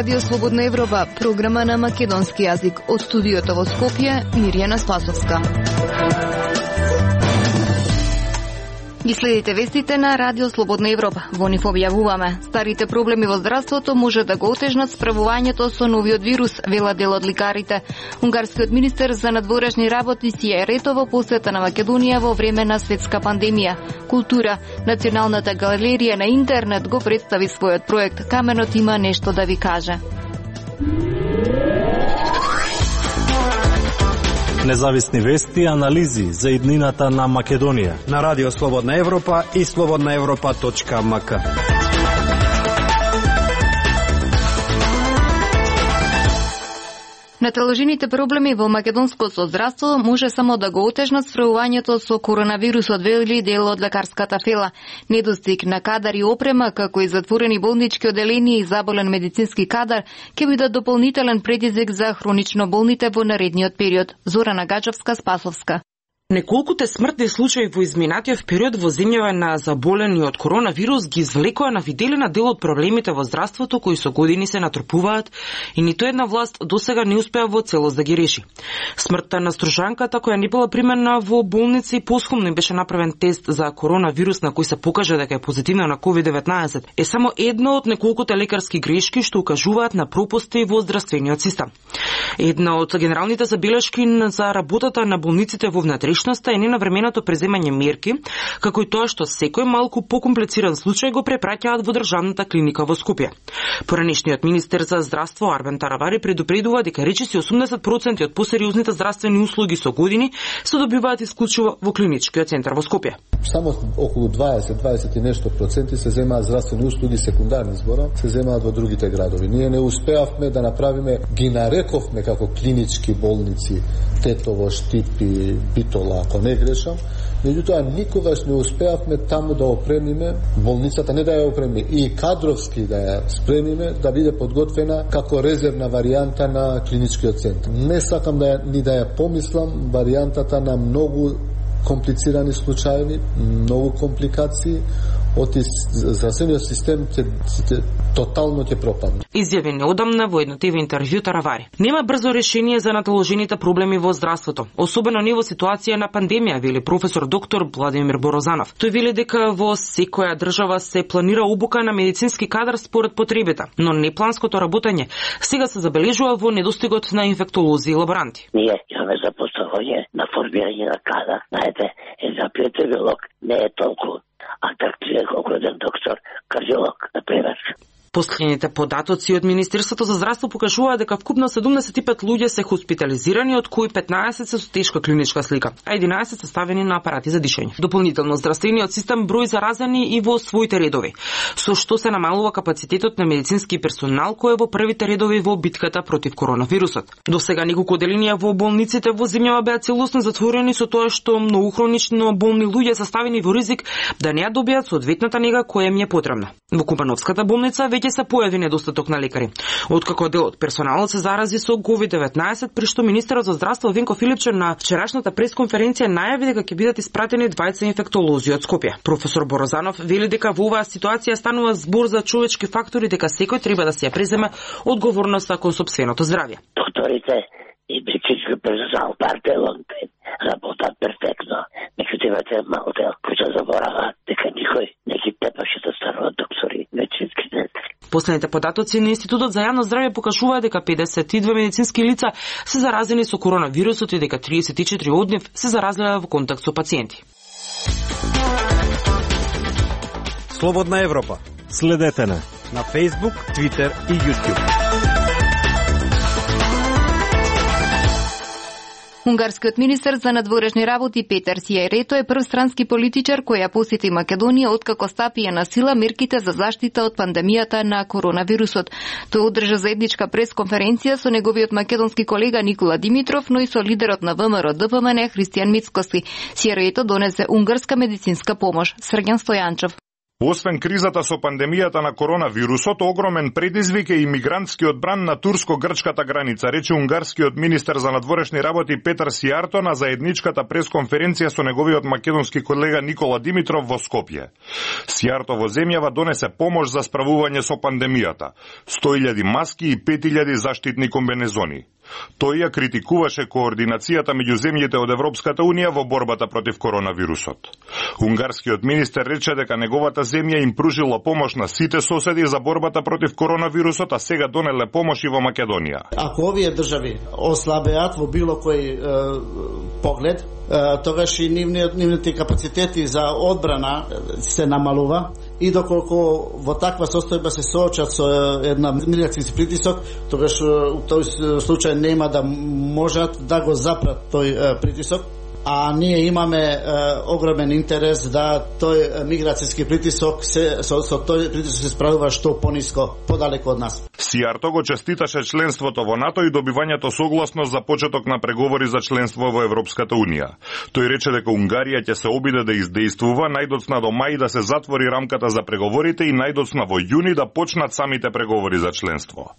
Радио Слободна Европа, програма на македонски јазик. Од студиото во Скопје, Мирјана Спасовска. Ги следите вестите на Радио Слободна Европа. Во нив објавуваме: старите проблеми во здравството може да го отежнат справувањето со новиот вирус, вела дел од лекарите. Унгарскиот министер за надворешни работи Сија Рето во посета на Македонија во време на светска пандемија. Култура. Националната галерија на интернет го представи својот проект Каменот има нешто да ви каже. Независни вести и анализи за иднината на Македонија на Радио Слободна Европа и slobodnaevropa.mk. Наталожените проблеми во македонското здравство може само да го отежнат справувањето со коронавирусот, вели дел од лекарската фела. Недостиг на кадар и опрема, како и затворени болнички оделенија и заболен медицински кадар, ќе бидат дополнителен предизвик за хронично болните во наредниот период. Зорана Гаџовска, Спасовска. Неколкуте смртни случаи во изминатиот период во земјава на заболени од коронавирус ги извлекоа на виделина дел од проблемите во здравството кои со години се натрупуваат и ниту една власт досега не успеа во целост да ги реши. Смртта на стружанката која не била примена во болница и посхумно им беше направен тест за коронавирус на кој се покажа дека е позитивна на COVID-19 е само една од неколкуте лекарски грешки што укажуваат на пропусти во здравствениот систем. Една од генералните забелешки за работата на болниците во внатрешноста е ненавременото преземање мерки, како и тоа што секој малку покомплициран случај го препраќаат во државната клиника во Скопје. Поранешниот министер за здравство Арбен Таравари предупредува дека речиси 80% од посериозните здравствени услуги со години се добиваат исклучиво во клиничкиот центар во Скопје. Само околу 20 и нешто проценти се земаат здравствени услуги секундарни збора, се земаат во другите градови. Ние не успеавме да направиме, ги нарековме како клинички болници Тетово, Штипи, Битола, ако не грешам, меѓутоа никогаш не успеавме таму да опремиме болницата, не да ја опремиме и кадровски да ја спремиме да биде подготвена како резервна варијанта на клиничкиот центар. Не сакам да ја помислам варијантата на многу комплицирани случаи, многу компликации, здравствениот систем тотално ќе пропадне. Изјави неодамна во едно ТВ интервју Таравари. Нема брзо решение за наталожените проблеми во здравството, особено не во ситуација на пандемија, вели професор доктор Владимир Борозанов. Тој вели дека во секоја држава се планира обука на медицински кадар според потребите, но непланското работење сега се забележува во недостигот на инфектолози и лаборанти. Ние имаме запоставање на формирање на кадар. Знаете, за епидемиолог не е толку атрактивен колку еден доктор, кардиолог, например. Последните податоци од Министерството за здравство покажуваат дека вкупно 75 луѓе се хоспитализирани, од кои 15 се со тешка клиничка слика, а 11 се ставени на апарати за дишење. Дополнително здравствениот систем број заразени и во своите редови, со што се намалува капацитетот на медицински персонал кој е во првите редови во битката против коронавирусот. До сега неколку оделенија во болниците во земјава беа целосно затворени со тоа што многу хронично болни луѓе се ставени во ризик да не ја добијат соодветната нега која им е потребна. Во Купановската болница веќе се појави недостаток на лекари. Откако дел од персоналот се зарази со COVID-19, при што министерот за здравство Венко Филипче на вчерашната пресконференција најави дека ќе бидат испратени 20 инфектолози од Скопје. Професор Борозанов вели дека во оваа ситуација станува збор за човечки фактори, дека секој треба да се ја преземе одговорноста кон сопственото здравје. Докторите и медицински персонал партелонте работат перфектно. Меѓутоа малку кои се забораваат дека никој не ги тепаше да стануваат доктори, медицински сестри. Последните податоци на Институтот за јавно здравје покажуваат дека 52 медицински лица се заразени со коронавирусот и дека 34 од нив се заразиле во контакт со пациенти. Слободна Европа. Следете на Facebook, Twitter и YouTube. Унгарскиот министер за надворешни работи Петар Сија Рето е прв странски политичар кој ја посети Македонија откако стапија на сила мерките за заштита од пандемијата на коронавирусот. Тој одржа заедничка пресконференција со неговиот македонски колега Никола Димитров, но и со лидерот на ВМРО ДПМН Христијан Мицкоски. Сија Рето донесе унгарска медицинска помош. Срѓан Стојанчев. Освен кризата со пандемијата на коронавирусот, огромен предизвик е имигрантскиот бран на турско-грчката граница, рече унгарскиот министер за надворешни работи Петар Сијарто на заедничката пресконференција со неговиот македонски колега Никола Димитров во Скопје. Сијарто во земјава донесе помош за справување со пандемијата, 100.000 маски и 5.000 заштитни комбинезони. Тој ја критикуваше координацијата меѓу земјите од Европската Унија во борбата против коронавирусот. Унгарскиот министер рече дека неговата земја им пружила помош на сите соседи за борбата против коронавирусот, а сега донеле помош и во Македонија. Ако овие држави ослабеат во било кој поглед, тогаш и нивните капацитети за одбрана се намалува и доколку во таква состојба се соочат со една миграцијски притисок, тогаш у тој случај нема да можат да го запрат тој притисок, а ние имаме огромен интерес да тој миграцијски притисок со тој притисок се справува што пониско, подалеку од нас. Сијарто го честиташе членството во НАТО и добивањето согласност за почеток на преговори за членство во Европската Унија. Тој рече дека Унгарија ќе се обиде да издействува најдоцна до мај да се затвори рамката за преговорите и најдоцна во јуни да почнат самите преговори за членство.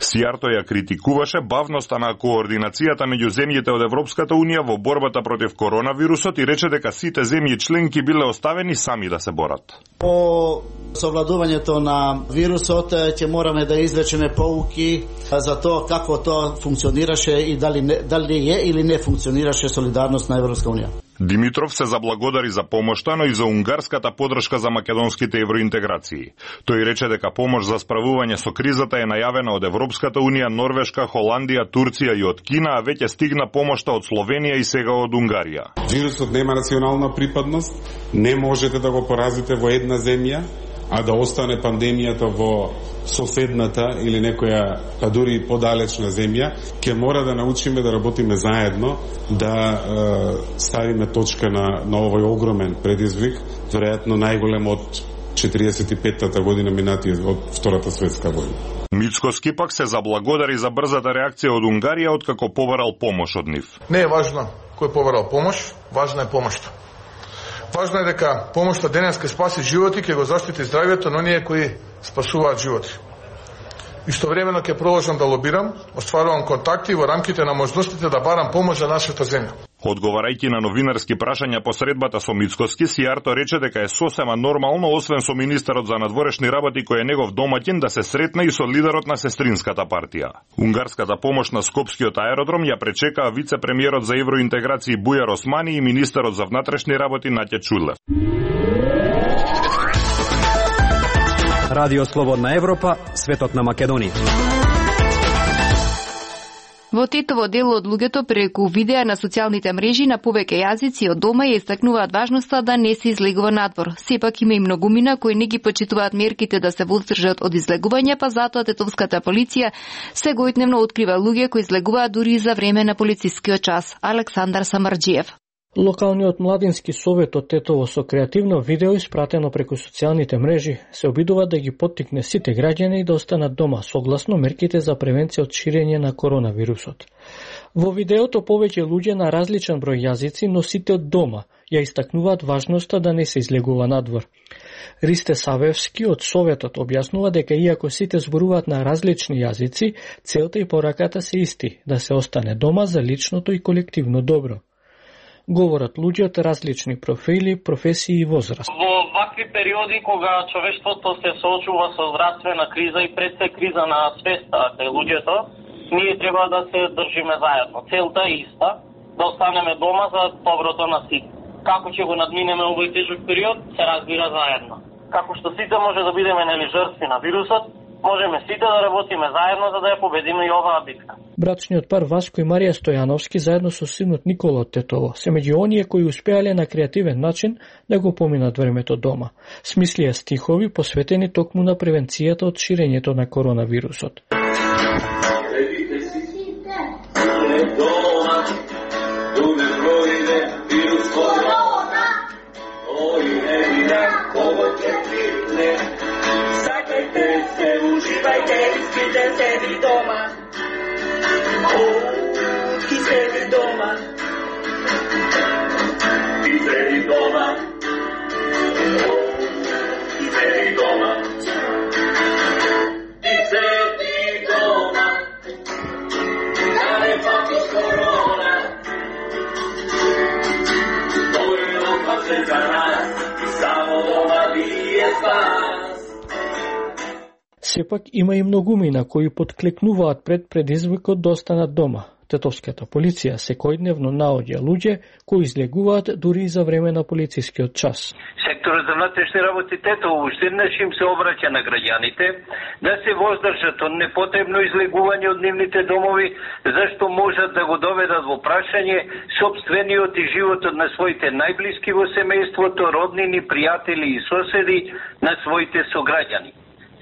Сијарто ја критикуваше бавноста на координацијата меѓу земјите од Европската Унија во борбата против коронавирусот и рече дека сите земји членки биле оставени сами да се борат. По совладувањето на вирусот ќе мораме да извлечеме поуки за тоа како тоа функционираше и дали е или не функционираше солидарност на Европска Унија. Димитров се заблагодари за помошта, но и за унгарската подршка за македонските евроинтеграции. Тој рече дека помош за справување со кризата е најавена од Европската Унија, Норвешка, Холандија, Турција и од Кина, а веќе стигна помошта од Словенија и сега од Унгарија. Вирусот нема национална припадност, не можете да го поразите во една земја, а да остане пандемијата во соседната или некоја, па дури подалечна земја. Ќе мора да научиме да работиме заедно, да ставиме точка на овој огромен предизвик, веројатно најголем од 45-та година минати од Втората светска војна. Мицкоски пак се заблагодари за брзата реакција од Унгарија откако побарал помош од нив. Не е важно кој побарал помош, важна е помошта. Важно е дека помошта денес ќе спаси животи, ќе го заштити здравјето на оние кои спасуваат животи. Истовремено ќе продолжам да лобирам, остварувам контакти во рамките на можностите да барам помош за нашата земја. Одговарајќи на новинарски прашања по средбата со Мицкоски, Сијарто рече дека е сосема нормално, освен со министерот за надворешни работи кој е негов домаќин, да се сретне и со лидерот на сестринската партија. Унгарската помош на Скопскиот аеродром ја пречекаа вице-премиерот за евроинтеграции Бујар Османи и министерот за внатрешни работи Наќа Чулев. Радио Слободна Европа, светот на Македонија. Во Титово дел од луѓето преку видеа на социјалните мрежи на повеќе јазици од дома ја истакнуваат важноста да не се излегува надвор. Сепак има и многумина кои не ги почитуваат мерките да се воздржат од излегување, па затоа тетовската полиција сегојдневно открива луѓе кои излегуваат дури за време на полицискиот час. Александар Самарџиев. Локалниот младински совет од Тетово со креативно видео испратено преку социјалните мрежи се обидува да ги поттикне сите граѓани да останат дома согласно мерките за превенција од ширење на коронавирусот. Во видеото повеќе луѓе на различен број јазици, но сите од дома, ја истакнуваат важноста да не се излегува надвор. Ристе Савевски од Советот објаснува дека иако сите зборуваат на различни јазици, целта и пораката се исти, да се остане дома за личното и колективно добро. Говорат луѓе од различни профили, професии и возраст. Во вакви периоди кога човештвото се соочува со здравствена криза и пред се криза на свеста кај луѓето, ние треба да се држиме заедно. Целта е иста, да останеме дома за доброто на сите. Како ќе го надминеме овој тежок период, се разбира заедно. Како што сите може да бидеме жртви на вирусот, можеме сите да работиме заедно за да ја победиме и оваа битка. Брачниот пар Васко и Марија Стојановски заедно со синот Никола од Тетово се меѓу оние кои успеале на креативен начин да го поминат времето дома. Смислија стихови посветени токму на превенцијата од ширењето на коронавирусот. Uživajte, spite sebi doma. Ti sebi doma. Ti sebi doma. Сепак има и многумина кои подклекнуваат пред предизвикот да останат дома. Тетовската полиција секојдневно наоѓа луѓе кои излегуваат дури и за време на полицискиот час. Секторот за внатрешни работи Тетово уште еднаш им се обраќа на граѓаните да се воздржат од непотребно излегување од нивните домови, зашто можат да го доведат во прашање сопствениот и животот на своите најблиски во семејството, роднини, пријатели и соседи на своите сограѓани.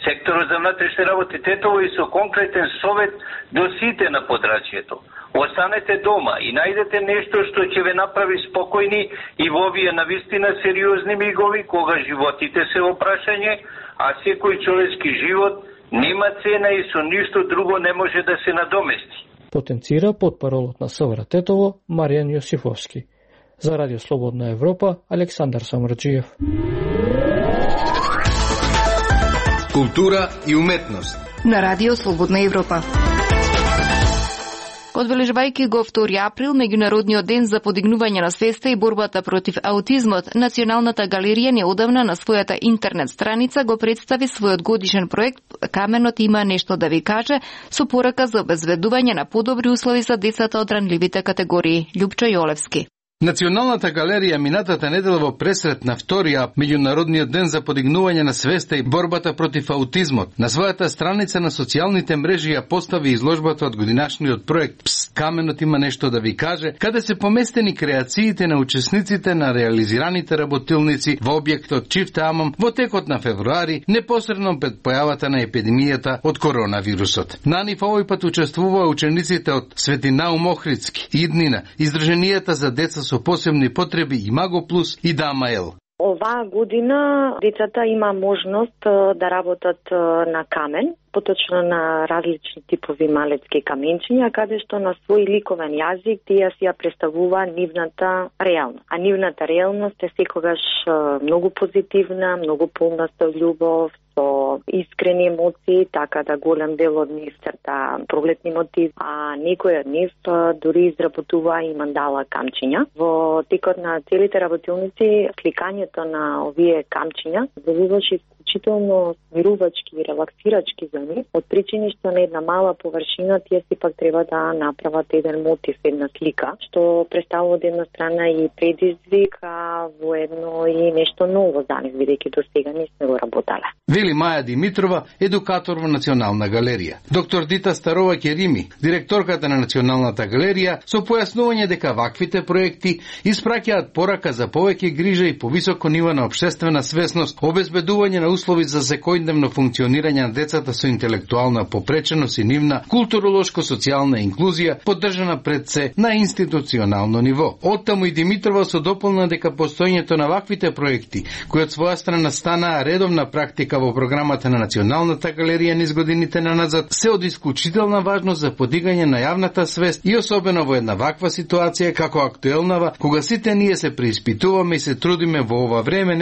Секторот за внатрешни работи Тетово и со конкретен совет до сите на подрачјето. Останете дома и најдете нешто што ќе ве направи спокојни и во овие навистина сериозни мигови кога животите се во прашање, а секој човечки живот нема цена и со ништо друго не може да се надомести. Потенцира потпаролот на СВР Тетово Маријан Јосифовски. За Радио Слободна Европа, Александар Самарџиев. Култура и уметност на Радио Слободна Европа. Одбележувајќи го 2 април, меѓународниот ден за подигнување на свеста и борбата против аутизмот, Националната галерија неодамна на својата интернет страница го представи својот годишен проект "Каменот има нешто да ви каже", со порака за обезбедување на подобри услови за децата од ранливите категории. Љупчо Јолевски. Националната галерија минатата недела во пресрет на 2 меѓународниот ден за подигнување на свеста и борбата против аутизмот на својата страница на социјалните мрежи ја постави изложбата од годинашниот проект "Пс, каменот има нешто да ви каже", каде се поместени креациите на учесниците на реализираните работилници во објектот Чифте Амам во текот на февруари, непосредно пред појавата на епидемијата од коронавирусот. На нив овој пат учествуваа учениците од Свети Наум Охридски, Иднина, Издрженијата за деца со посебни потреби и Маго Плюс и Дамаел. Оваа година децата има можност да работат на камен, поточно на различни типови малецки каменчиња, каде што на свој ликовен јазик тие си ја представува нивната реалност. А нивната реалност е секогаш многу позитивна, многу полна со љубов, со искрени емоции, така да голем дел од нив црта прогледни мотиви, а некој од нив дури изработува и мандала камчиња. Во текот на целите работилници, сликањето на овие камчиња делуваше исклучително смирувачки и релаксирачки за нив, од причини што на една мала површина тие сепак треба да направат еден мотив, една слика, што представува од една страна и предизвик, а во едно и нешто ново за нив, бидејќи до сега не сме го работеле. Вели Маја Димитрова, едукатор во Национална галерија. Доктор Дита Старова Керими, директорката на Националната галерија, со појаснување дека ваквите проекти испраќаат порака за повеќе грижа и повисоко ниво на општествена свесност, обезбедување на услови за секојдневно функционирање на децата со интелектуална попреченост и нивна културолошко-социјална инклузија, поддржана пред се на институционално ниво. Оттаму и Димитрова со дополна дека постоењето на ваквите проекти, кои од своја страна станаа редовна практика во програмата на Националната галерија низ годините наназад, се од исклучителна важност за подигање на јавната свест и особено во една ваква ситуација како актуелнава, кога сите ние се преиспитуваме и се трудиме во ова време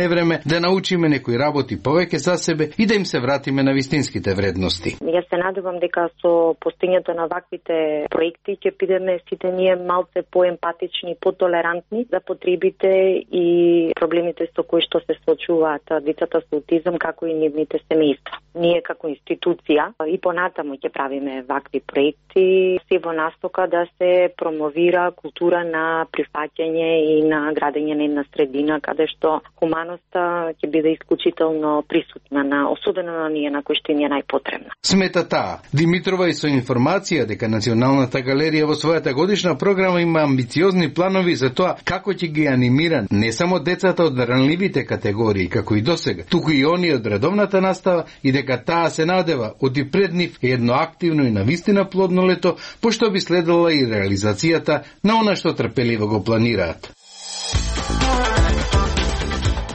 да научиме некои работи повеќе за себе и да им се вратиме на вистинските вредности. Јас се надевам дека со постоењето на ваквите проекти ќе бидеме сите ние малце поемпатични, потолерантни за потребите и проблемите со кои што се соочуваат децата со аутизам, како и нивните семејства. Ние како институција и понатаму ќе правиме вакви проекти се во настока да се промовира култура на прифаќање и на градење на една средина каде што хуманоста ќе биде исклучително присутна, особено на ние на кои што ни е најпотребна. Смета таа Димитрова и со информација дека Националната галерија во својата годишна програма има амбициозни планови за тоа како ќе ги анимира не само децата од ранливите категории како и досега, туку и оние од редовната настава и дека таа се надева од и пред нив едно активно и навистина плодно лето, пошто би следела и реализацијата на она што трпеливо го планираат.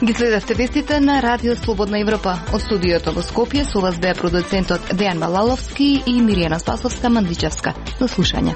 Ги следевте вестите на Радио Слободна Европа. Од студиото во Скопје со вас беа продуцентот Дејан Балаловски и Миријана Спасовска-Мандичевска. До слушање.